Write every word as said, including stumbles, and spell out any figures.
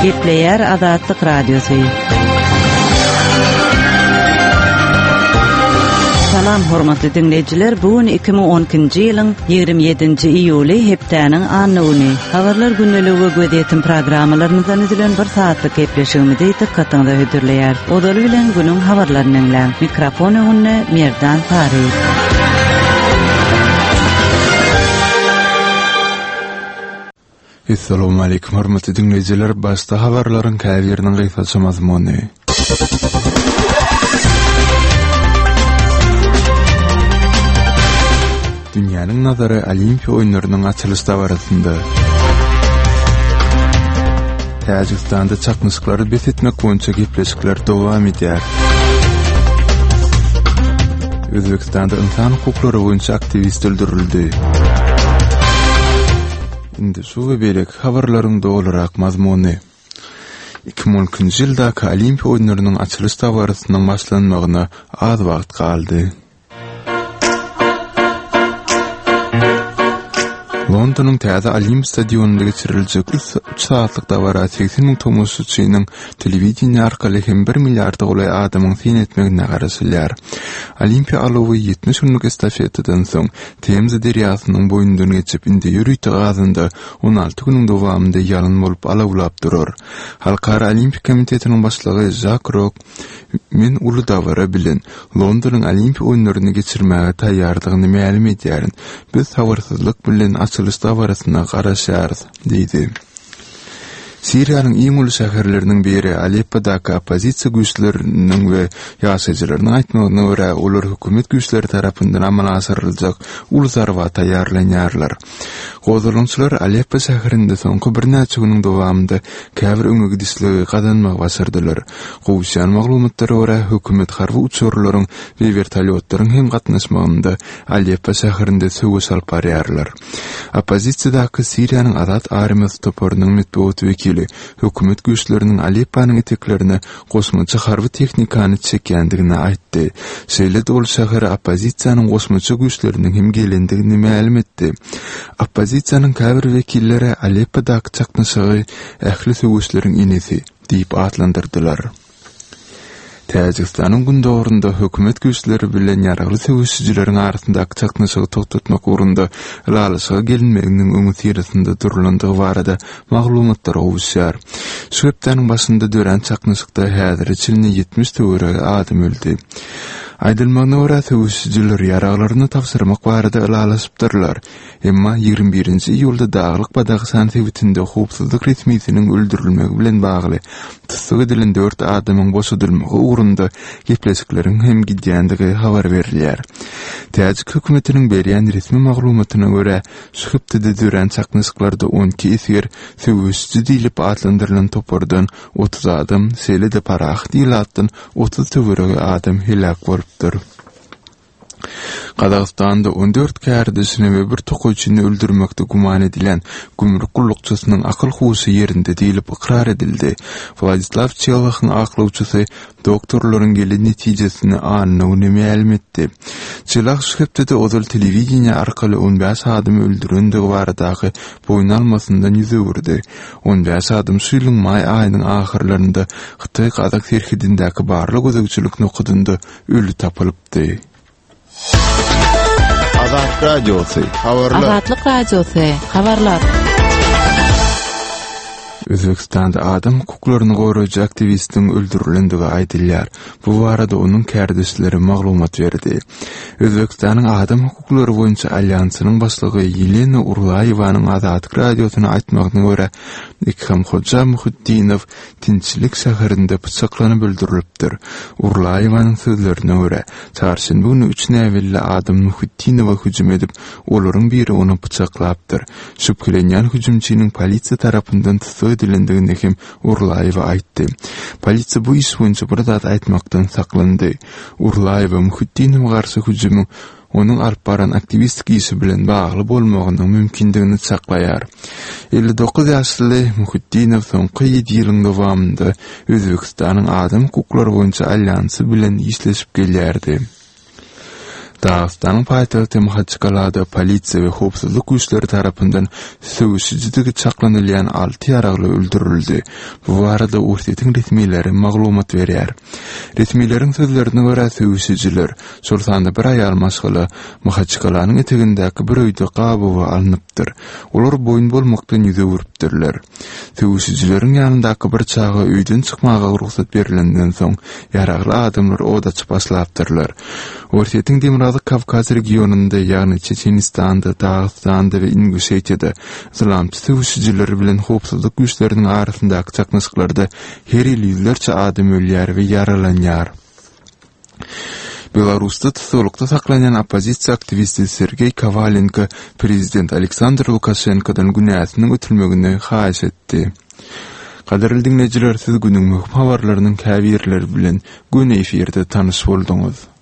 Gepleýär Azatlyk Radiosy. Salam hormatly diňleýjiler, bu gün iki müň on ikinji ýylyň ýigrimi ýedinji iýuly hepdäniň anna güni. Habarlar gündeligi we gözýetim programmalarymyzdan düzülen bir saatlyk gepleşigimizi dykgatyňyza hödürleýär. Ozaly bilen günüň habarlaryny diňläň. Mikrofon öňünde Merdan Sary. Assalamu aleýkum hormatly diňleýjiler, başda habarlaryň käbiriniň gysgaça mazmuny. Dünýäniň nazary Olimpiýa oýunlarynyň açylyş dabarasynda. Täjigistanda çaknyşyklary bes etmek boýunça gepleşikler dowam edýär. Özbekistanda insan hukuklary boýunça aktiwist öldürildi. Indi şu we beýleki habarlaryň dolurak mazmuny. Iki müň on ikinji ýyldaky Olimpiýa oýunlarynyň açylyş dabarasynyň başlanmagyna az wagt galdy. Londonyň täze Olimp stadionynda geçiriljek üç, üç saatlyk dabara segsen müň tomaşaçynyň telewideniýe arkaly hem bir milliarda golaý adamyň syn etmegine garaşylýar. Olimpiýa alowy ýetmiş günlük estafetadan soň Temza derýasynyň boýundan geçip indi ýörite gazynda on alty günüň dowamynda ýalyn bolup alawlap durar. Halkara Olimpiýa komitetiniň başlygy Žak Rok men uly dabara bilen Londonyň Olimpiýa oýunlaryny geçirmäge taýýardygyny mälim edýärin. Biz sabyrsyzlyk bilen açylyş dabarasyna garaşýarys, diýdi. Siriýanyň iň uly şäherleriniň biri Aleppodaky oppozisiýa güýçleriniň we ýaşaýjylarynyň aýtmagyna görä, olar hökümet güýçleri tarapyndan amala aşyryljak uly zarba taýýarlanýarlar. Gozgalaňçylar Aleppo şäherinde soňky birnäçe günüň dowamynda käbir öňe gidişligi gazanmagy başardylar. Gowuşýan maglumatlara görä, hökümet harby uçarlaryň we vertolýotlaryň hem gatnaşmagynda Aleppo şäherinde söweş alyp barýarlar. Oppozisiýadaky Siriýanyň Azat armiýasy toparynyň metbugat wekili hökümet güýçleriniň Alepponyň eteklerine goşmaça harby tehnikany çekýändigini aýtdy. Şeýle-de ol şähere oppozisiýanyň goşmaça güýçleriniň hem gelendigini mälim etdi. Oppozisiýanyň käbir wekilleri Aleppodaky çaknyşygy ähli söweşleriň enesi diýip atlandyrdylar. Täjigistanyň gündogarynda hökümet güýçleri bilen ýaragly söweşijileriň arasyndaky çaknyşygy togtatmak ugrunda ylalaşyga gelinmeginiň öňüsyrasynda durulandygy barada maglumatlar gowuşýar. Şu hepdäniň başynda dörän çaknyşykda häzire çenli ýetmiş töweregi adam öldi. Aýdylmagyna görä söweşijiler ýaraglaryny tabşyrmak barada ylalaşypdyrlar. Emma ýigrimi birinji iýulda Daglyk Badahşan sebitinde howpsuzlyk resmisiniň öldürilmegi bilen bagly tussag edilen dört adamyň boşadylmagy ugrunda gepleşikleriň hem gidýändigi habar berilýär. Täjik hökümetiniň berýän resmi maglumatyna görä, şu hepdede dörän çaknyşyklarda on iki esger söweşiji diýlip atlandyrylan topardan otuz adam, şeýle-de parahat ilatdan otuz töweregi adam heläk bolupdyr. Gazagystanda on dört kärdeşini we bir tokaýçyny öldürmekde güman edilen gümrük gullukçysynyň akyl huşy ýerinde diýlip ykrar edildi. Wladislaw Çelahyň aklawçysy doktorlaryň gelen netijesini anna güni mälim etdi. Çelah şu hepdede ozal telewideniýe arkaly on bäş adamy öldürendigi baradaky boýun almasyndan ýüz öwürdi. On bäş adam şu ýylyň maý aýynyň ahyrlarynda Hytaý-Gazak serhedindäki barlag gözegçilik nokadynda öli tapylypdy. Azat Radiosy, habarlar. Azatlyk Radiosy, habarlar. Özbekistanda adam hukuklaryny goraýjy aktiwistiň öldürilendigi aýdylýar. Bu barada onuň kärdeşleri maglumat berdi. Özbekistanyň adam hukuklary boýunça alýansynyň başlygy Ýelena Urlaýewanyň Azatlyk Radiosyna aýtmagyna görä, Ikramhoja Muhiddinow Tinçilik şäherinde pyçaklanyp öldürilipdir. Urlaýewanyň sözlerine görä, çarşenbe güni üç näbelli adam Muhiddinowa hüjüm edip, olaryň biri ony pyçaklapdyr. Şübhelenýän hüjümçiniň polisiýa tarapyndan tussag edilendigini hem Urlaýewa aýtdy. Polisiýa bu iş boýunça bir zat aýtmakdan saklandy. Urlaýewa Muhiddinowa garşy hüjümiň onuň alyp baran aktiwistik işi bilen bagly bolmagynyň mümkindigini çaklaýar. Elli dokuz ýaşly Muhiddinow soňky ýedi ýylyň dowamynda Özbekistanyň adam hukuklary boýunça alýansy bilen işleşip gelýärdi. Dagystanyň paýtagty Mahaçkalada polisiýa we howpsuzlyk güýçleri tarapyndan söweşijidigi çaklanylýan alty ýaragly öldürildi. Bu barada Orsýetiň resmileri maglumat berýär. Resmileriň sözlerine görä söweşijiler, şol sanda bir aýal maşgala Mahaçkalanyň etegindäki bir öýde gabawa alnypdyr. Olar boýun bolmakdan ýüz öwrüpdirler. Söweşijileriň ýanyndaky bir çaga öýden çykmaga rugsat berilenden soň ýaragly adamlar od açyp başlapdyrlar. Orsýetiň Demirgazyk Kawkaz regionynda, ýagny Çeçenistanda, Dagystanda we Inguşetiýada yslamçy söweşijiler bilen howpsuzlyk güýçleriniň arasyndaky çaknyşyklarda her ýyl ýüzlerçe adam ölýär we ýaralanýar. Belarusda tussaglykda saklanýan oppozisiýa aktiwisti Sergeý Kowalenko prezident Aleksandr Lukaşenkodan günäsiniň ötülmegini haýyş etdi. Gadyrly diňleýjiler, siz günüň möhüm habarlarynyň käbirleri bilen göni efirde tanyş bolduňyz.